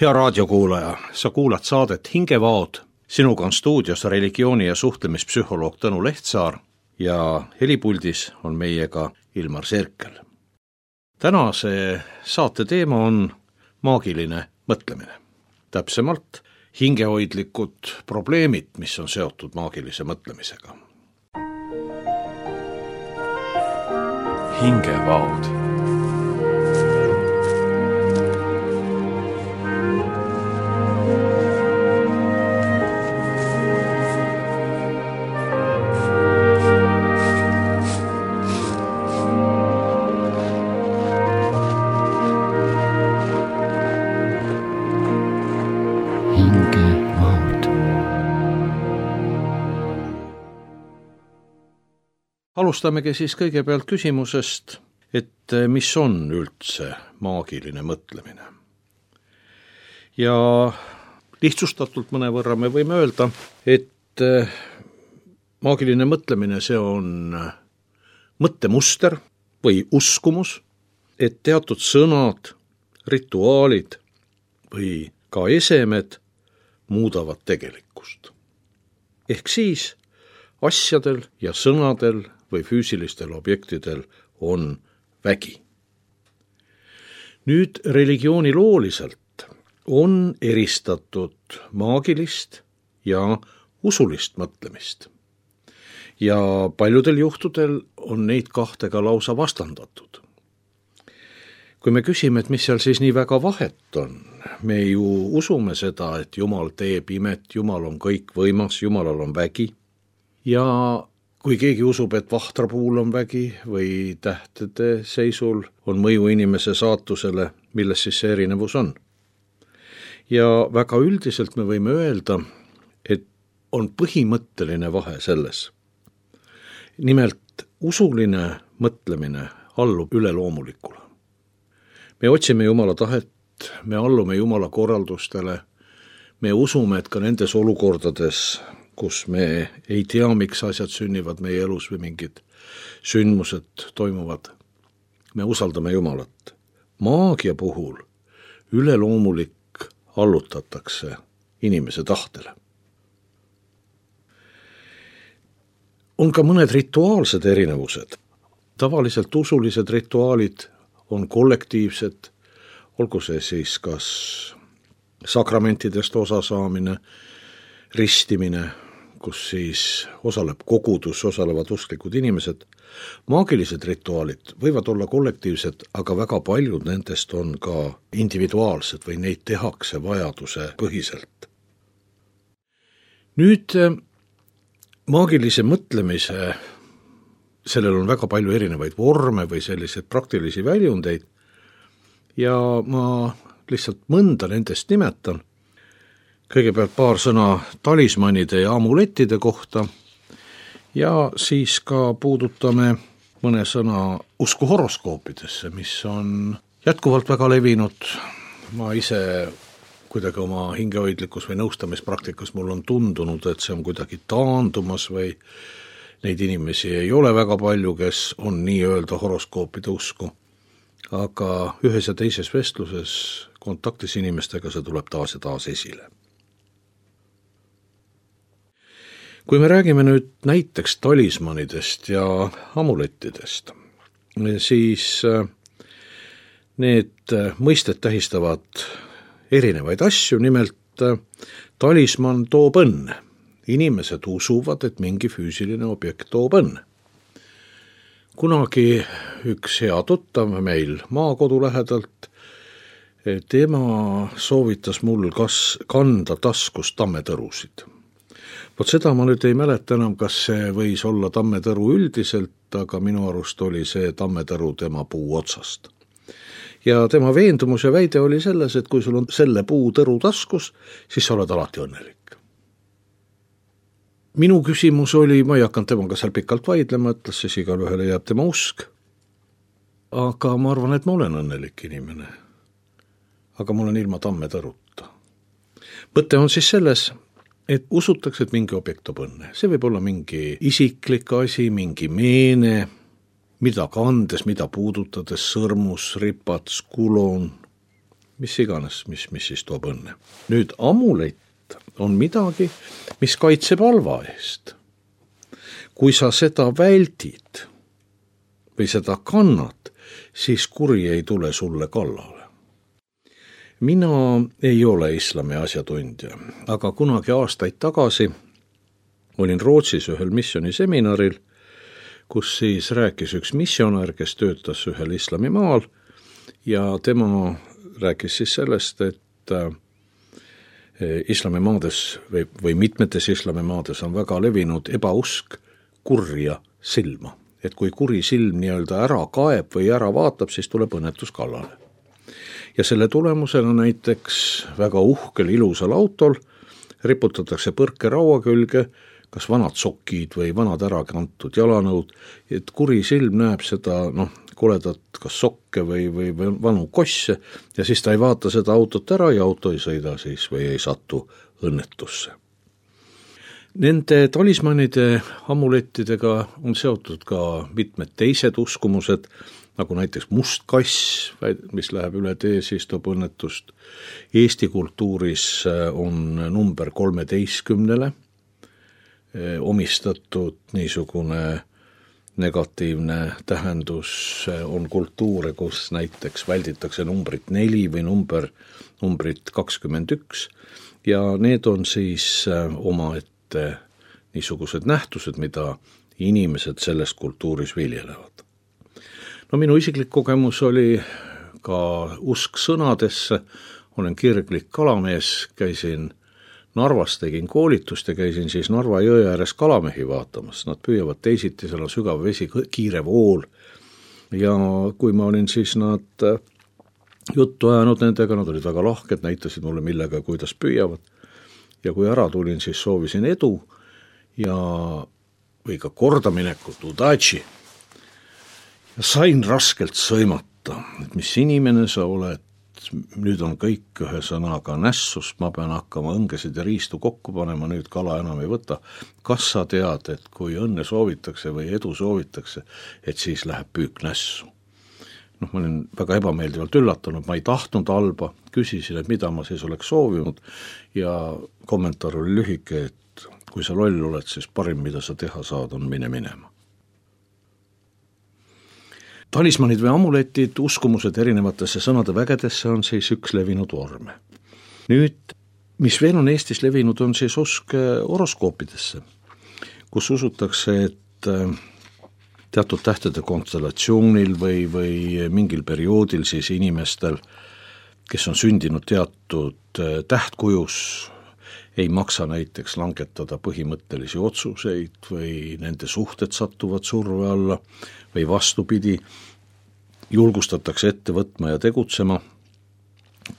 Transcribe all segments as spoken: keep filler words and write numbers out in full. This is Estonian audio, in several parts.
Hea raadiokuulaja, sa kuulad saadet Hingevaod. Sinuga on stuudios religiooni- ja suhtlemispsühholoog Tõnu Lehtsaar ja helipuldis on meiega Ilmar Sirkel. Tänase saate teema on maagiline mõtlemine. Täpsemalt hingehoidlikud probleemid, mis on seotud maagilise mõtlemisega. Hingevaod. Alustamegi siis kõigepealt küsimusest, et mis on üldse maagiline mõtlemine. Ja lihtsustatult mõnevõrra me võime öelda, et maagiline mõtlemine see on mõttemuster või uskumus, et teatud sõnad, rituaalid või ka esemed muudavad tegelikkust. Ehk siis asjadel ja sõnadel või füüsilistel objektidel on vägi. Nüüd religioonilooliselt on eristatud maagilist ja usulist mõtlemist. Ja paljudel juhtudel on neid kahte ka lausa vastandatud. Kui me küsime, et mis seal siis nii väga vahet on, me ju usume seda, et Jumal teeb imet, Jumal on kõikvõimas, Jumalal on vägi. Ja kui keegi usub, et vahtrapuul on vägi või tähtede seisul on mõju inimese saatusele, milles siis see erinevus on. Ja väga üldiselt me võime öelda, et on põhimõtteline vahe selles. Nimelt usuline mõtlemine allub üleloomulikule. Me otsime Jumala tahet, me allume Jumala korraldustele, me usume, et ka nendes olukordades, kus me ei tea, miks asjad sünnivad meie elus või mingid sündmused toimuvad. Me usaldame Jumalat. Maagia puhul üleloomulik allutatakse inimese tahtele. On ka mõned rituaalsed erinevused. Tavaliselt usulised rituaalid on kollektiivsed, olgu see siis kas sakramentidest osasaamine, ristimine, kus siis osaleb kogudus, osalevad usklikud inimesed. Maagilised rituaalid võivad olla kollektiivsed, aga väga paljud nendest on ka individuaalsed või neid tehakse vajaduse põhiselt. Nüüd maagilise mõtlemise, sellel on väga palju erinevaid vorme või selliseid praktilisi väljundeid ja ma lihtsalt mõnda nendest nimetan. Kõigepealt paar sõna talismanide ja amulettide kohta ja siis ka puudutame mõne sõna usku horoskoopidesse, mis on jätkuvalt väga levinud. Ma ise kuidagi oma hingehoidlikus või nõustamispraktikas mul on tundunud, et see on kuidagi taandumas või neid inimesi ei ole väga palju, kes on nii-öelda horoskoopide usku. Aga ühes ja teises vestluses kontaktis inimestega see tuleb taas ja taas esile. Kui me räägime nüüd näiteks talismanidest ja amulettidest, siis need mõisted tähistavad erinevaid asju, nimelt talisman toob õnne. Inimesed usuvad, et mingi füüsiline objekt toob õnne. Kunagi üks hea tuttav meil maakodu lähedalt, tema soovitas mul kas kanda taskus tammetõrusid. Vot seda ma nüüd ei mäleta enam, kas see võis olla tammetõru üldiselt, aga minu arust oli see tammetõru tema puu otsast. Ja tema veendumus ja väide oli selles, et kui sul on selle puu tõru taskus, siis sa oled alati õnnelik. Minu küsimus oli, ma ei hakanud temaga seal pikalt vaidlema, ütles siis igal ühele jääb tema usk. Aga ma arvan, et ma olen õnnelik inimene. Aga mul on ilma tammetõruta. Mõte on siis selles, et usutakse, et mingi objekt toob õnne. See võib olla mingi isiklik asi, mingi meene, mida kandes, mida puudutades, sõrmus, ripats, kulon, mis iganes, mis, mis siis toob õnne. Nüüd amulett on midagi, mis kaitseb halva eest. Kui sa seda väldid või seda kannad, siis kuri ei tule sulle kallale. Mina ei ole islami asjatundja, aga kunagi aastaid tagasi olin Rootsis ühel missiooniseminaril, kus siis rääkis üks missionär, kes töötas ühel islamimaal ja tema rääkis siis sellest, et islamimaades või, või mitmetes islamimaades on väga levinud ebausk kurja silma. Et kui kuri silm nii-öelda ära kaeb või ära vaatab, siis tuleb õnnetus kallale. Ja selle tulemusena näiteks väga uhkel ilusal autol riputatakse põrke raua külge, kas vanad sokid või vanad ära kantud jalanõud, et kuri silm näeb seda noh, koledat kas sokke või, või, või vanu kosse ja siis ta ei vaata seda autot ära ja auto ei sõida siis või ei satu õnnetusse. Nende talismanide amulettidega on seotud ka mitmed teised uskumused, nagu näiteks must kass, mis läheb üle tee, siis toob õnnetust. Eesti kultuuris on number kolmeteistkümnele omistatud niisugune negatiivne tähendus, on kultuure, kus näiteks välditakse numbrit neli või number, numbrit kakskümmend üks ja need on siis omaette niisugused nähtused, mida inimesed selles kultuuris viljelevad. No minu isiklik kogemus oli ka usk sõnadesse, olen kirglik kalamees, käisin Narvas, tegin koolitust ja käisin siis Narva jõe ääres kalamehi vaatamas. Nad püüavad teisiti, seal on sügav vesi, kiire vool ja kui ma olin siis nad juttu ajanud nendega, nad olid väga lahked, näitasid mulle millega, kuidas püüavad ja kui ära tulin, siis soovisin edu ja või ka kordaminekut, udachi ja sain raskelt sõimata, et mis inimene sa oled, nüüd on kõik ühe sõnaga nässus, ma pean hakkama õngesid ja riistu kokku panema, nüüd kala enam ei võta. Kas sa tead, et kui õnne soovitakse või edu soovitakse, et siis läheb püük nässu? Noh, ma olin väga ebameeldivalt üllatunud, ma ei tahtnud halba, küsisin, et mida ma siis oleks soovinud ja kommentaar oli lühike, et kui sa loll oled, siis parim, mida sa teha saad, on mine minema. Talismanid või amuletid, uskumused erinevatesse sõnade vägedesse on siis üks levinud vorme. Nüüd, mis veel on Eestis levinud, on siis usk horoskoopidesse, kus usutakse, et teatud tähtede konstellatsioonil või, või mingil perioodil siis inimestel, kes on sündinud teatud tähtkujus, ei maksa näiteks langetada põhimõttelisi otsuseid või nende suhted satuvad surve alla või vastupidi, julgustatakse ette võtma ja tegutsema,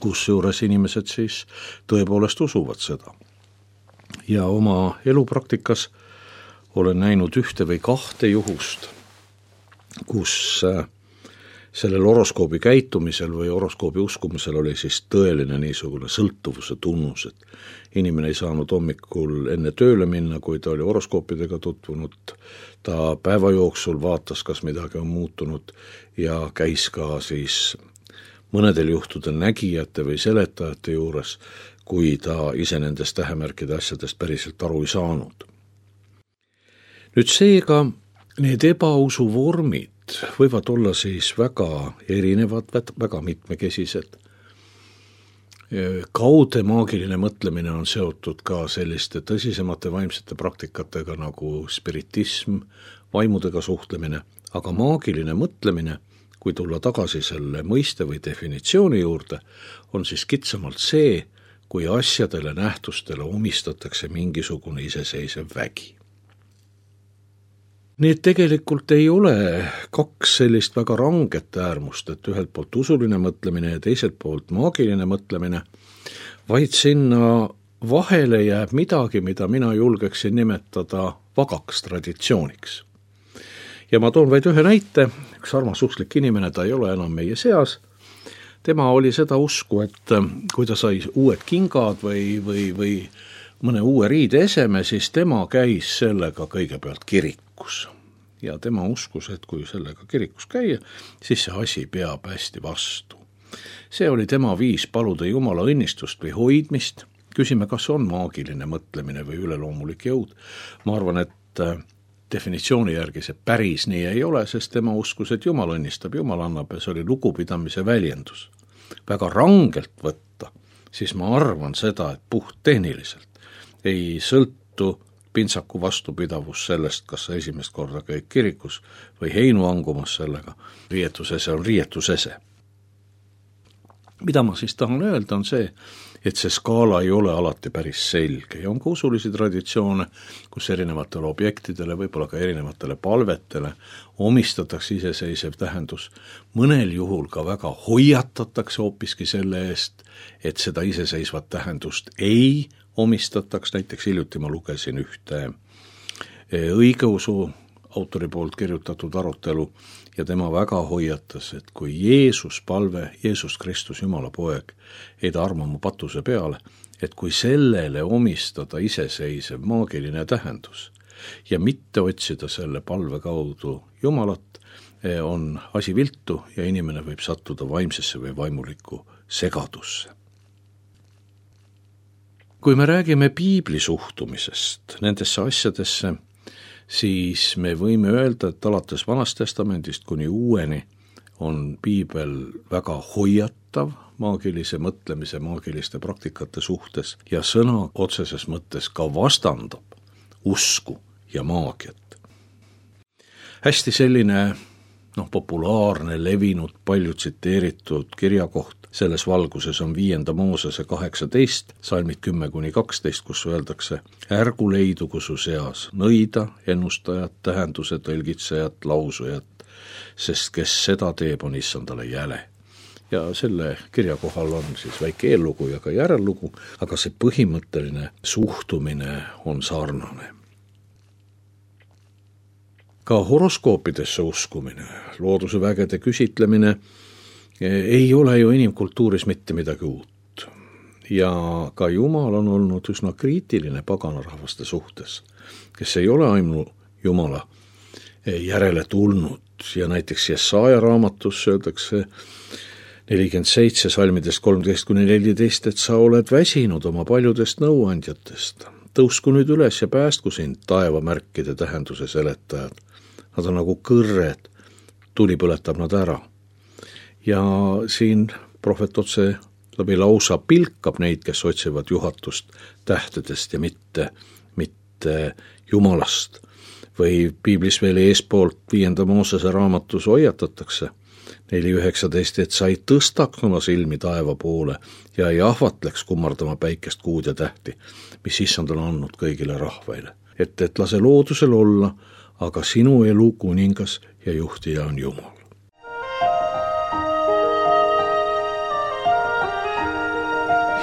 kus juures inimesed siis tõepoolest usuvad seda. Ja oma elupraktikas olen näinud ühte või kahte juhust, kus sellel horoskoobi käitumisel või horoskoobi uskumisel oli siis tõeline niisugune sõltuvuse tunnus, et inimene ei saanud hommikul enne tööle minna, kui ta oli horoskoopidega tutvunud, ta päeva jooksul vaatas, kas midagi on muutunud ja käis ka siis mõnedel juhtudel nägijate või seletajate juures, kui ta ise nendest tähemärkide asjadest päriselt aru ei saanud. Nüüd seega need ebausu vormid võivad olla siis väga erinevad, väga mitmekesised. Kaude maagiline mõtlemine on seotud ka selliste tõsisemate vaimsete praktikatega nagu spiritism, vaimudega suhtlemine, aga maagiline mõtlemine, kui tulla tagasi selle mõiste või definitsiooni juurde, on siis kitsamalt see, kui asjadele, nähtustele omistatakse mingisugune iseseisev vägi. Need tegelikult ei ole kaks sellist väga ranget äärmust, et ühelt poolt usuline mõtlemine ja teiselt poolt maagiline mõtlemine, vaid sinna vahele jääb midagi, mida mina julgeksin nimetada vagaks traditsiooniks. Ja ma toon vaid ühe näite, üks armas usklik inimene, ta ei ole enam meie seas, tema oli seda usku, et kui ta sai uued kingad või, või, või mõne uue riide eseme, siis tema käis sellega kõigepealt kirikus. Ja tema uskus, et kui sellega kirikus käia, siis see asi peab hästi vastu. See oli tema viis paluda Jumala õnnistust või hoidmist. Küsime, kas on maagiline mõtlemine või üleloomulik jõud. Ma arvan, et definitsiooni järgi see päris nii ei ole, sest tema uskus, et Jumal õnnistab, Jumal annab ja see oli lugupidamise väljendus. Väga rangelt võtta, siis ma arvan seda, et puht tehniliselt ei sõltu pintsaku vastupidavus sellest, kas sa esimest korda käid kirikus või heinu angumas sellega. Riietusese on riietusese. Mida ma siis tahan öelda on see, et see skaala ei ole alati päris selge ja on ka usulisi traditsioone, kus erinevatele objektidele, võib-olla ka erinevatele palvetele omistatakse iseseisev tähendus. Mõnel juhul ka väga hoiatatakse hoopiski selle eest, et seda iseseisvat tähendust ei omistataks. Näiteks hiljuti ma lugesin ühte õigeusu autori poolt kirjutatud arutelu ja tema väga hoiatas, et kui Jeesus palve, Jeesus Kristus, Jumala poeg, ei ta arma mu patuse peale, et kui sellele omistada iseseisev maagiline tähendus ja mitte otsida selle palve kaudu Jumalat, on asi viltu ja inimene võib sattuda vaimsesse või vaimulikku segadusse. Kui me räägime piibli suhtumisest nendesse asjadesse, siis me võime öelda, et alates Vanast Testamendist kuni uueni on piibel väga hoiatav maagilise mõtlemise, maagiliste praktikate suhtes ja sõna otseses mõttes ka vastandab usku ja maagiat. Hästi selline noh, populaarne, levinud, palju tsiteeritud kirjakoht selles valguses on viienda Moosese kaheksateist, salmid kümme kuni kaksteist, kus öeldakse: ärgu leidugu su seas nõida, ennustajat, tähenduse tõlgitsejat, lausujat, sest kes seda teeb, on issandale jäle. Ja selle kirja kohal on siis väike eellugu ja ka järellugu, aga see põhimõtteline suhtumine on sarnane. Ka horoskoopidesse uskumine, looduse vägede küsitlemine ei ole ju inimkultuuris mitte midagi uut. Ja ka Jumal on olnud üsna kriitiline paganarahvaste suhtes, kes ei ole ainu Jumala järele tulnud. Ja näiteks Jesaja raamatus öeldakse nelikümmend seitse salmidest kolmteist kuni neliteist, et sa oled väsinud oma paljudest nõuandjatest. Tõusku nüüd üles ja päästku sind taevamärkide tähenduse seletajad. Nad on nagu kõrred, tuli põletab nad ära. Ja siin prohvet otse läbi lausa pilkab neid, kes otsivad juhatust tähtedest ja mitte, mitte Jumalast. Või piiblis veel eespoolt viienda Moosese raamatus hoiatatakse neli üheksateist, et sa ei tõstaks oma silmi taeva poole ja ei ahvatleks kummardama päikest, kuud ja tähti, mis issand on andnud kõigile rahvaile. Et, et lase loodusel olla, aga sinu elu kuningas ja juhtija on Jumal.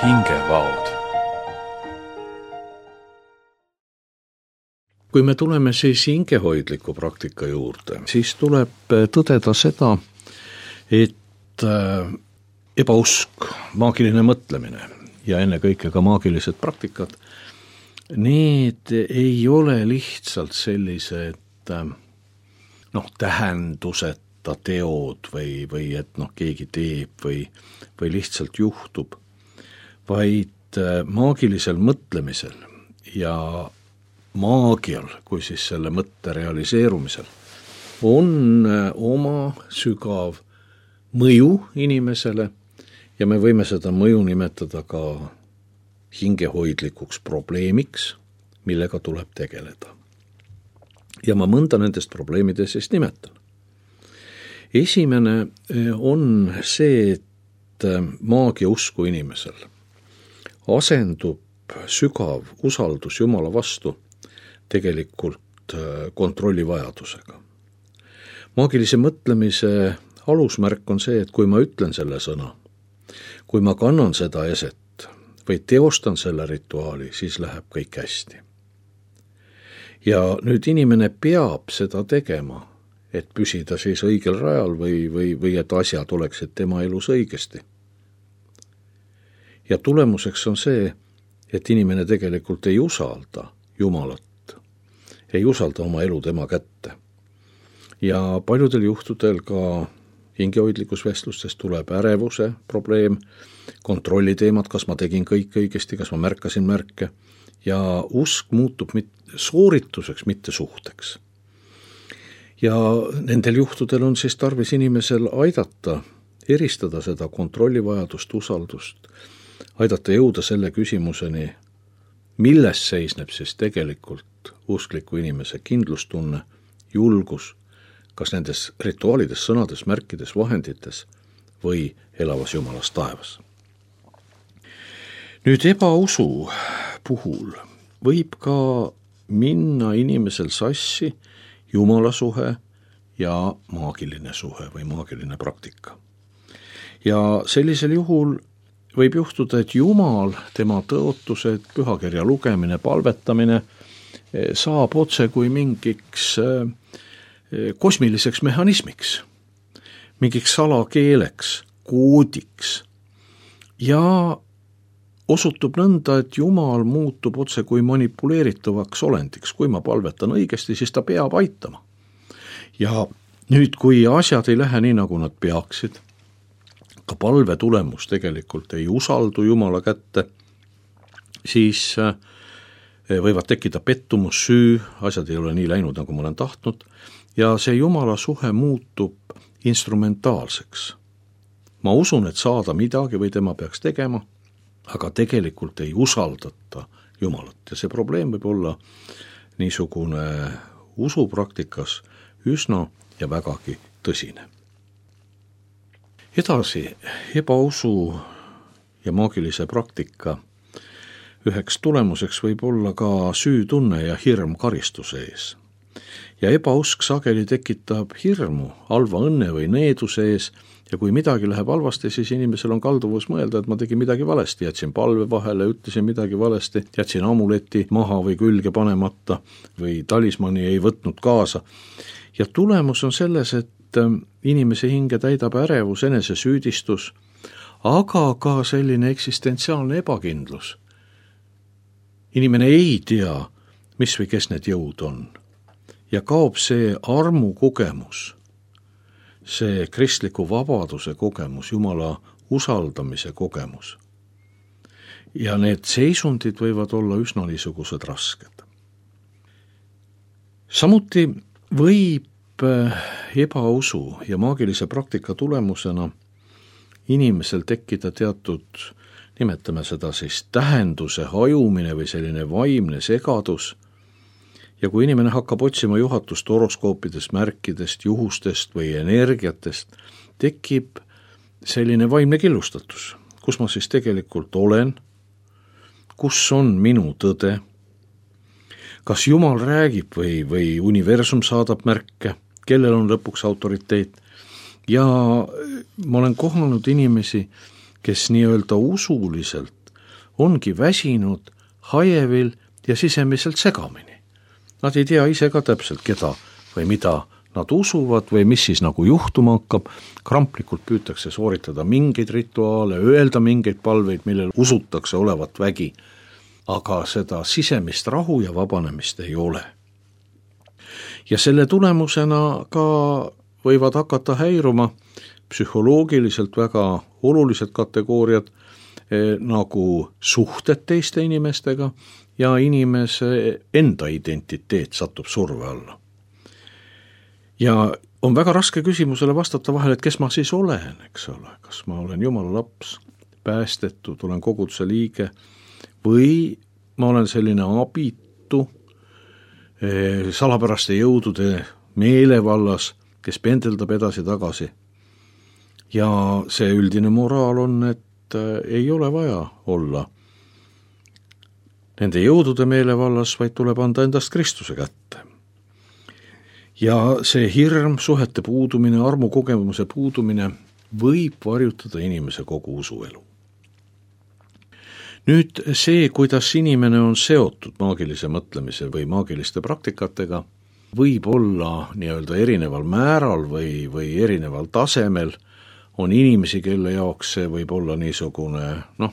Hingevaod. Kui me tuleme siis hingehoidliku praktika juurde, siis tuleb tõdeda seda, et ebausk, maagiline mõtlemine ja ennekõike ka maagilised praktikad, need ei ole lihtsalt sellised noh, tähenduseta teod või, või et noh, keegi teeb või, või lihtsalt juhtub, vaid maagilisel mõtlemisel ja maagial, kui siis selle mõtte realiseerumisel, on oma sügav mõju inimesele ja me võime seda mõju nimetada ka hingehoidlikuks probleemiks, millega tuleb tegeleda. Ja ma mõnda nendest probleemidest siis nimetan. Esimene on see, et maagia usku inimesel asendub sügav usaldus Jumala vastu tegelikult kontrollivajadusega. Maagilise mõtlemise alusmärk on see, et kui ma ütlen selle sõna, kui ma kannan seda eset või teostan selle rituaali, siis läheb kõik hästi. Ja nüüd inimene peab seda tegema, et püsida siis õigel rajal või, või, või et asjad oleksid tema elus õigesti. Ja tulemuseks on see, et inimene tegelikult ei usalda Jumalat, ei usalda oma elu tema kätte. Ja paljudel juhtudel ka hingehoidlikus vestlustes tuleb ärevuse probleem, kontrolli teemad, kas ma tegin kõik õigesti, kas ma märkasin märke ja usk muutub mit- soorituseks, mitte suhteks. Ja nendel juhtudel on siis tarvis inimesel aidata, eristada seda kontrollivajadust, usaldust, aidata jõuda selle küsimuseni, milles seisneb siis tegelikult uskliku inimese kindlustunne, julgus, kas nendes rituaalides, sõnades, märkides, vahendites või elavas Jumalas taevas. Nüüd ebausu puhul võib ka minna inimesel sassi Jumala suhe ja maagiline suhe või maagiline praktika. Ja sellisel juhul võib juhtuda, et Jumal, tema tõotused, pühakirja lugemine, palvetamine saab otse kui mingiks kosmiliseks mehhanismiks, mingiks salakeeleks, koodiks ja osutub nõnda, et Jumal muutub otse kui manipuleeritavaks olendiks. Kui ma palvetan õigesti, siis ta peab aitama. Ja nüüd, kui asjad ei lähe nii, nagu nad peaksid, ka palve tulemus tegelikult ei usaldu Jumala kätte, siis võivad tekkida pettumus, süü, asjad ei ole nii läinud, nagu ma olen tahtnud, ja see Jumala suhe muutub instrumentaalseks. Ma usun, et saada midagi või tema peaks tegema, aga tegelikult ei usaldata Jumalat ja see probleem võib olla niisugune usupraktikas üsna ja vägagi tõsine. Edasi, ebausu ja maagilise praktika üheks tulemuseks võib olla ka süütunne ja hirm karistuse ees. Ja ebausk sageli tekitab hirmu halva õnne või needuse ees ja kui midagi läheb halvasti, siis inimesel on kalduvus mõelda, et ma tegin midagi valesti, jätsin palve vahele, ütlesin midagi valesti, jätsin amuleti maha või külge panemata või talismani ei võtnud kaasa. Ja tulemus on selles, et inimese hinge täidab ärevus, enesesüüdistus, aga ka selline eksistentsiaalne ebakindlus. Inimene ei tea, mis või kes need jõud on. Ja kaob see armu kogemus, see kristliku vabaduse kogemus, Jumala usaldamise kogemus. Ja need seisundid võivad olla üsna niisugused rasked. Samuti võib ebausu ja maagilise praktika tulemusena inimesel tekkida teatud, nimetame seda siis tähenduse hajumine või selline vaimne segadus. Ja kui inimene hakkab otsima juhatust horoskoopidest, märkidest, juhustest või energiatest, tekib selline vaimne killustatus, kus ma siis tegelikult olen, kus on minu tõde, kas Jumal räägib või, või universum saadab märke, kellel on lõpuks autoriteet. Ja ma olen kohanud inimesi, kes nii-öelda usuliselt ongi väsinud, hajevil ja sisemiselt segamini. Nad ei tea ise ka täpselt, keda või mida nad usuvad või mis siis nagu juhtuma hakkab. Kramplikult püütakse sooritada mingeid rituaale, öelda mingeid palveid, millel usutakse olevat vägi. Aga seda sisemist rahu ja vabanemist ei ole. Ja selle tulemusena ka võivad hakata häiruma psühholoogiliselt väga olulised kategooriad eh, nagu suhted teiste inimestega, ja inimese enda identiteet satub surve alla. Ja on väga raske küsimusele vastata vahel, et kes ma siis olen, eks ole, kas ma olen Jumala laps, päästetud, olen koguduse liige või ma olen selline abitu, salapäraste jõudude meelevallas, kes pendeldab edasi-tagasi. Ja see üldine moraal on, et ei ole vaja olla nende jõudude meelevallas, vaid tuleb anda endast Kristuse kätte. Ja see hirm, suhete puudumine, armu kogemuse puudumine võib varjutada inimese kogu usuelu. Nüüd see, kuidas inimene on seotud maagilise mõtlemise või maagiliste praktikatega, võib olla nii-öelda erineval määral või, või erineval tasemel. On inimesi, kelle jaoks see võib olla niisugune, noh,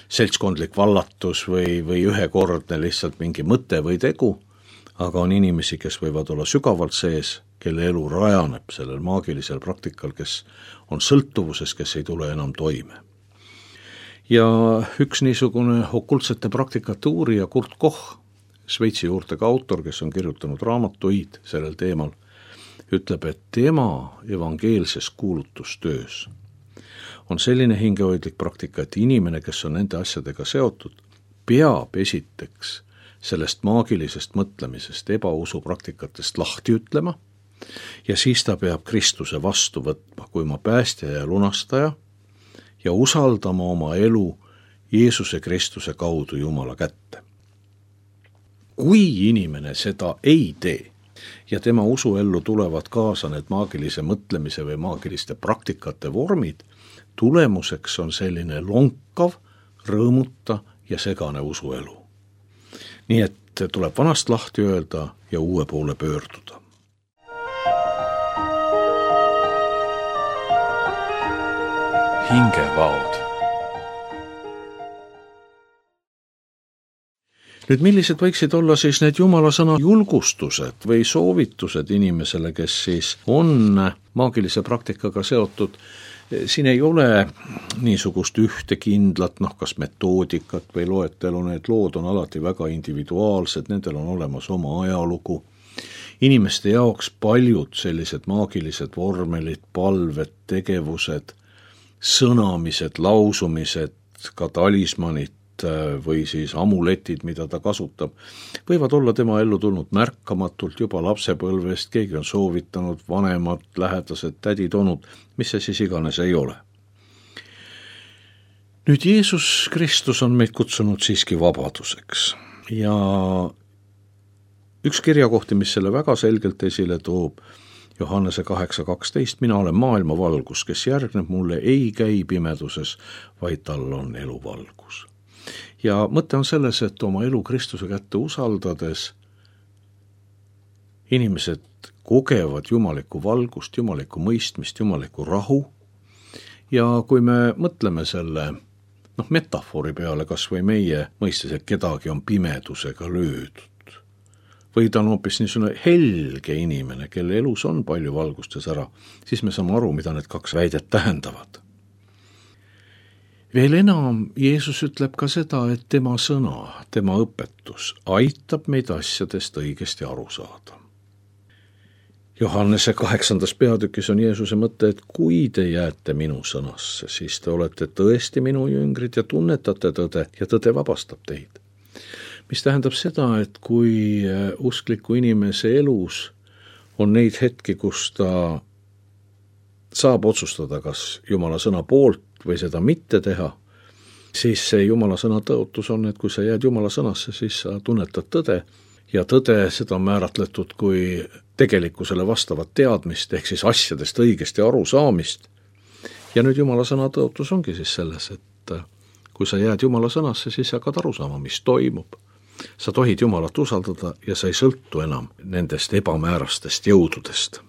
seltskondlik vallatus või, või ühekordne lihtsalt mingi mõte või tegu, aga on inimesi, kes võivad olla sügavalt sees kelle elu rajaneb sellel maagilisel praktikal, kes on sõltuvuses, kes ei tule enam toime. Ja üks niisugune okultsete praktikate uurija Kurt Koch, Šveitsi juurtega autor, kes on kirjutanud raamatuid sellel teemal, ütleb, et tema evangeelses kuulutustöös on selline hingehoidlik praktika, et inimene, kes on nende asjadega seotud, peab esiteks sellest maagilisest mõtlemisest, ebausu praktikatest lahti ütlema ja siis ta peab Kristuse vastu võtma kui oma päästja ja lunastaja ja usaldama oma elu Jeesuse Kristuse kaudu Jumala kätte. Kui inimene seda ei tee ja tema usuellu tulevad kaasa need maagilise mõtlemise või maagiliste praktikate vormid, tulemuseks on selline lonkav, rõõmuta ja segane usuelu. Nii et tuleb vanast lahti öelda ja uue poole pöörduda. Hingevaod. Nüüd millised võiksid olla siis need Jumala sõna julgustused või soovitused inimesele, kes siis on maagilise praktikaga seotud? Siin ei ole niisugust ühte kindlat, noh, kas metoodikat või loetelu, need lood on alati väga individuaalsed, nendel on olemas oma ajalugu. Inimeste jaoks paljud sellised maagilised vormelid, palved, tegevused, sõnamised, lausumised, ka talismanid või siis amuletid, mida ta kasutab, võivad olla tema ellu tulnud märkamatult juba lapsepõlvest, keegi on soovitanud, vanemad, lähedased, tädid, onud, mis see siis iganes ei ole. Nüüd Jeesus Kristus on meid kutsunud siiski vabaduseks ja üks kirjakohti, mis selle väga selgelt esile toob, Johannese kaheksa kaksteist, mina olen maailma valgus, kes järgneb mulle, ei käi pimeduses, vaid tal on eluvalgus. Ja mõte on selles, et oma elu Kristuse kätte usaldades inimesed kogevad jumalikku valgust, jumalikku mõistmist, jumalikku rahu. Ja kui me mõtleme selle noh, metafoori peale, kas või meie mõistes, et kedagi on pimedusega löödud, või ta on hoopis niisugune helge inimene, kelle elus on palju valgustes ära, siis me saame aru, mida need kaks väidet tähendavad. Veel enam, Jeesus ütleb ka seda, et tema sõna, tema õpetus aitab meid asjadest õigesti aru saada. Johannese kaheksandas peatükis on Jeesuse mõte, et kui te jääte minu sõnasse, siis te olete tõesti minu jüngrid ja tunnetate tõde ja tõde vabastab teid. Mis tähendab seda, et kui uskliku inimese elus on neid hetki, kus ta saab otsustada, kas Jumala sõna poolt või seda mitte teha, siis see Jumala sõna tõotus on, et kui sa jääd Jumala sõnasse, siis sa tunnetad tõde ja tõde seda on määratletud kui tegelikkusele vastavat teadmist, ehk siis asjadest õigesti aru saamist. Ja nüüd Jumala sõna tõotus ongi siis selles, et kui sa jääd Jumala sõnasse, siis hakkad aru saama, mis toimub. Sa tohid Jumalat usaldada ja sa ei sõltu enam nendest ebamäärastest jõududest.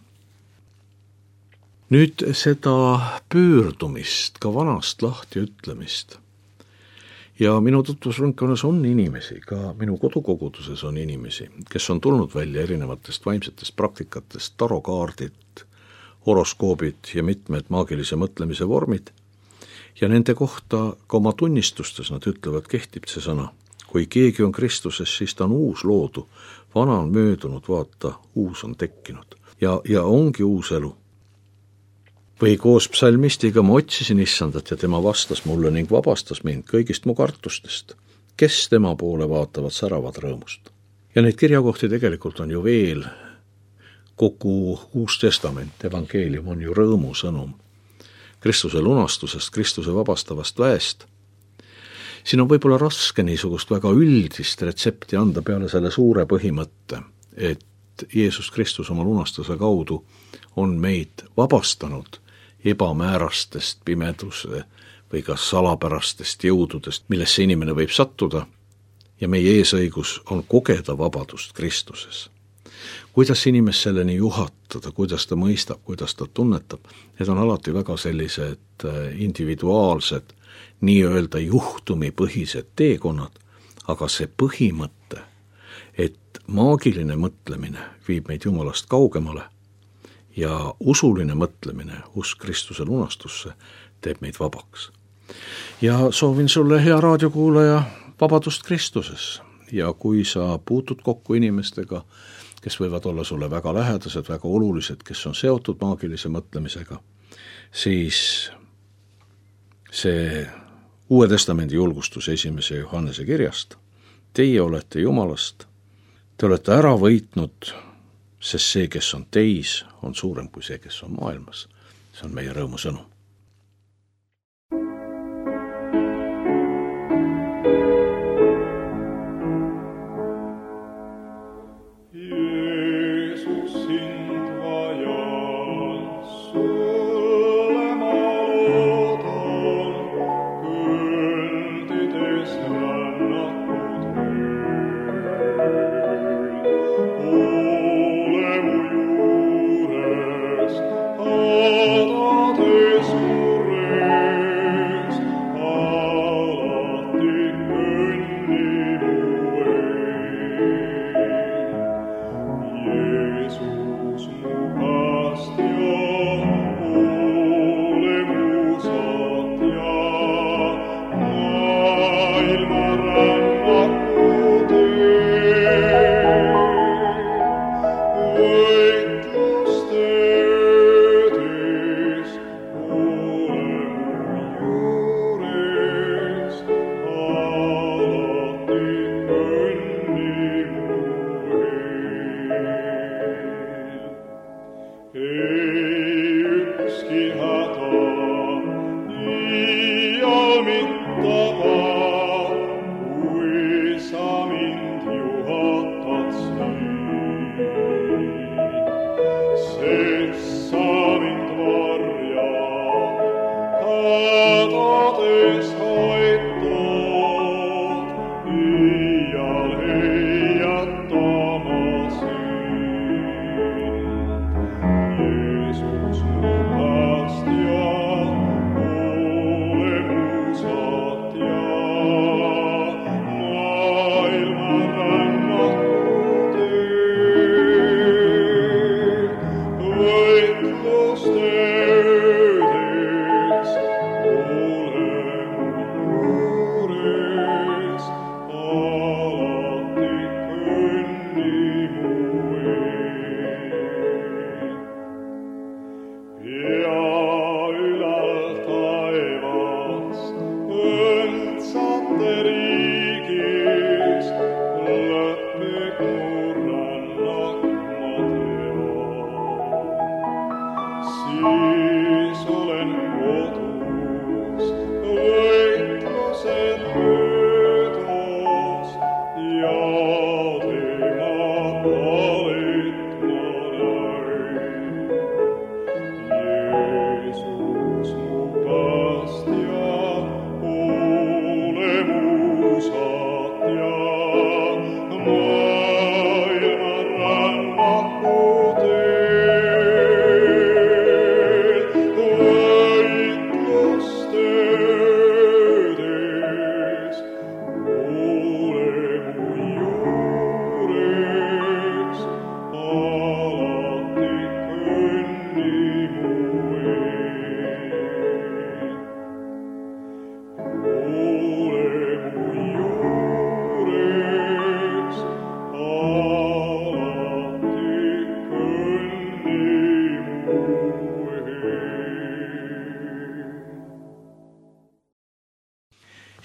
Nüüd seda pöördumist, ka vanast lahti ütlemist. Ja minu tutvusrõnkonas on inimesi, ka minu kodukoguduses on inimesi, kes on tulnud välja erinevatest vaimsetest praktikatest, tarokaardid, horoskoobid ja mitmed maagilise mõtlemise vormid. Ja nende kohta ka oma tunnistustes nad ütlevad, kehtib see sõna. Kui keegi on Kristuses, siis ta on uus loodu. Vana on möödunud, vaata, uus on tekkinud. Ja, ja ongi uus elu. Või koos psalmistiga ma otsisin issandat ja tema vastas mulle ning vabastas mind kõigist mu kartustest, kes tema poole vaatavad säravad rõõmust. Ja neid kirjakohti tegelikult on ju veel, kogu Uus Testament, evangeelium on ju rõõmusõnum Kristuse lunastusest, Kristuse vabastavast väest. Siin on võib-olla raske niisugust väga üldist retsepti anda peale selle suure põhimõtte, et Jeesus Kristus oma lunastuse kaudu on meid vabastanud ebamäärastest pimeduse või ka salapärastest jõududest, millesse inimene võib sattuda, ja meie eesõigus on kogeda vabadust Kristuses. Kuidas inimest selleni juhatada, kuidas ta mõistab, kuidas ta tunnetab, need on alati väga sellised individuaalsed, nii-öelda juhtumipõhised teekonnad, aga see põhimõte, et maagiline mõtlemine viib meid Jumalast kaugemale, ja usuline mõtlemine, usk Kristuse lunastusse, teeb meid vabaks. Ja soovin sulle, hea raadiokuulaja, vabadust Kristuses. Ja kui sa puutud kokku inimestega, kes võivad olla sulle väga lähedased, väga olulised, kes on seotud maagilise mõtlemisega, siis see Uue Testamendi julgustus esimese Johannese kirjast. Teie olete Jumalast, te olete ära võitnud, sest see, kes on teis, on suurem kui see, kes on maailmas. See on meie rõõmusõnum.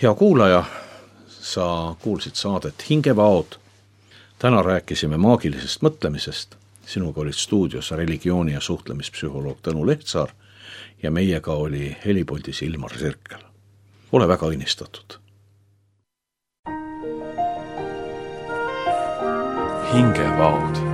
Hea kuulaja, sa kuulsid saadet Hingevaod. Täna rääkisime maagilisest mõtlemisest. Sinuga olid stuudios religiooni- ja suhtlemispsühholoog Tõnu Lehtsaar ja meiega oli helipuldis Ilmar Sirkel. Ole väga õnnistatud. Hingevaod.